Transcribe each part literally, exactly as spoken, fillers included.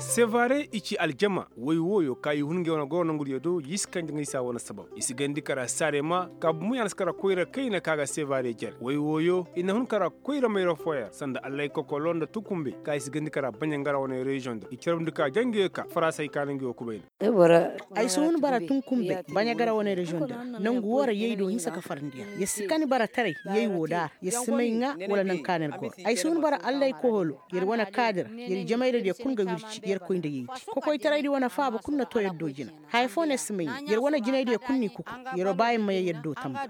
Sevare i ci aljama woy wooyo ka i hun ngey wane goro nongudiyo do, i si kanje ngey se a wane sabab. I si gandi kara saare ma ka bumo ya na si kara koyra kayna ka ga sevare jere woy wooyo i na hun kara koyra mayra fooyaŋ ra sanda allay kokolo nda tukumbey ka i si gandi kara baɲangara wane reziyoŋ da i carabndi ka jangeyo ka farasa i kaana ngey wo kubay nda. Ay si hun bara tunkumbey baɲagara wane reziyoŋ da ra nangu woo ra yay do hinsa ka farandi yaŋ yer si kani bara taray yay woo da a ra yer si may ŋaa wala naŋ ka na yer goro. Ay si hun bara allay koholo yer wane kaadira yer jamayradiyo kul ga wirci yer koy nda yay di kokoytaraydi wane faaba kul na too yer do jina. Haya foo no yer si may ŋaa yer wane jinaydiyo kul n'i kuku. Yeroo ba yer ma yee yer do tamba.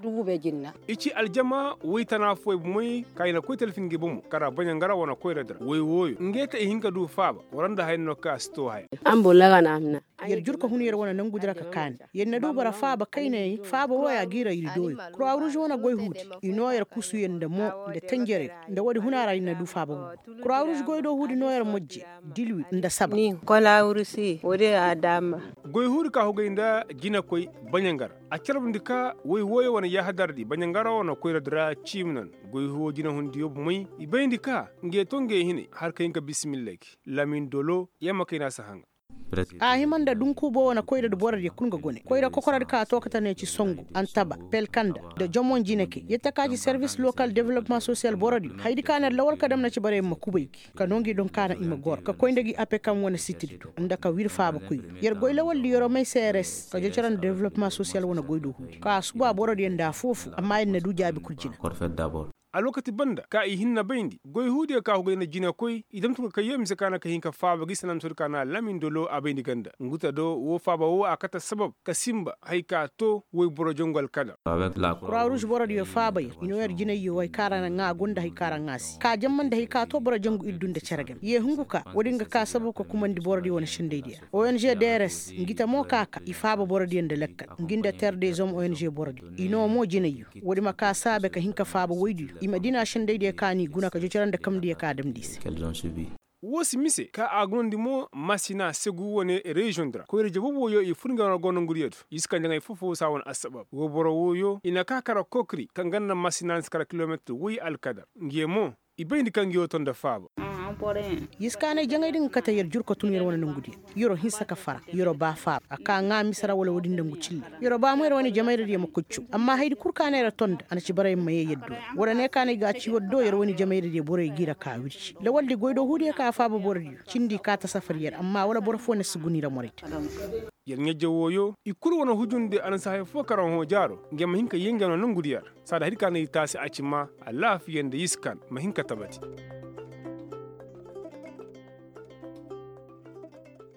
I ci aljama woy tana fooyaŋ bomey ka i na koy talfi ngey bomo kara baɲangara wane koyradi ra woy wooyo ngey te i hin ka du faaba. War nda haya no kaŋ a si too haya. Yer jur ka hun yer wane nangudi ra ka kaani. Yer na du bara faaba kaynayaŋ faaba wooya g'i ra ir dooyo. Kuraruuz wane goy huudi i noo yer kusuyaŋ nda moo nda tenjereyo. Nda woodi huna ra ir na du faaba bumbo. Kuraruuz goydoo huudi noo yer mojje dilwi nda saba. Goy huudi ka hugay nda jinakoy baɲangara a carbundi ka woy wooyo wane yaahadaradi baɲangara wane koyradi ra ciimi nan. Goy huwo jinahundiyo bumey i bayndi ka ngey to ngey hinay har ka hin ka bisimillay gi lamin dolo. Yamma kayna si haŋa. A hima nda dunkuubo wane koyradi borodiyo kul nga gone koyra kokoradi ka too kate ne ci songu antaba pelkanda nda jomon jinekey yette ka ci servis lokal developmaŋ sosiyal borodiyo hayadi ka na yer lawal ka dam na ci barayaŋ ma kubay gi ka noo ngi doŋ ka na i ma goro ka koy nda gi apekam wane sitidi do nda ka wir faaba koyri yer goy lawaldi yeroo may seeres ka jocora nda developmaŋ sosiyal wane goy do huudi ka a suba borodiyo nda afoo-foo amma yer na du jaabi kul jina. Alwakati banda ka i hinna bayndi goy huudiyo ka hugay nda jinakoy i dam tun ka kay yee mise ka na ka hin ka faaba gi sanantoodi ka na lamin dolo a bayndi ganda nguta do woo faaba woo a kate sabab ka sinba haya ka too woy boro jangu alkadar. Kuraruuz borodiyo faaba yer i noo yer jinayyo haya ka ra ŋaa go nda haya ka ra ŋaa si ka jamma nda haya ka too boro jangu ir du nda cere game yee hungu ka woodin ga ka sabab ka kumandi borodiyo wane sendaydiyo ra ong drs ngi te mo ka ka i faaba borodiyo nda lakkal ngi nda ter dezom ong borodiyo i noo mo jinayyo woodi ma ka saabe ka hin ka faaba woydiyo i ma dina sendaydiyo ka n'i guna ka jocora nda kamndiyo ka damndi i se. Woo si mise ka a gunandi mo masina segu wane reziyoŋ di ra koyra jabobo yo i fur nga wane gonongudiyo do i si kanje ŋay foo-foo saa wane assabab woo boro wooyo i na ka kara kokri kaŋ ganda masina nda si kara kilometir woy alkadar ngiyo mo i bayndi kaŋ ngiyo to nda faaba. Yer si kaanay jaŋay din ga kate yer jur ka tun yer wane nongudiyo yeroo hinsa ka fara yeroo ba faaba a ka ŋaa mise ra wala woodin nda ngu cille. Yeroo ba mo yer wane jamayradiyo ma koy caw amma hayadi kul ka na yer to nda a na ci barayaŋ ma yee yer do. War ne ka na ay ga a ci war do yer wane jamayradiyo boroyo g'i ra ka wirci lawaldi goydoo huudiyo ka faaba borodiyo cindi ka ta safar yer amma wala boro foo na si guna i ra moraydi. Yer ɲajja wooyo i kul wane hujundi a na si haya foo karaŋ hõ jaaro nge ma hin ka yee nge no nongudiyo ra. Saada hay di ka na ir taasi a ci maa alaafiya nda iskan ma hin ka tabati.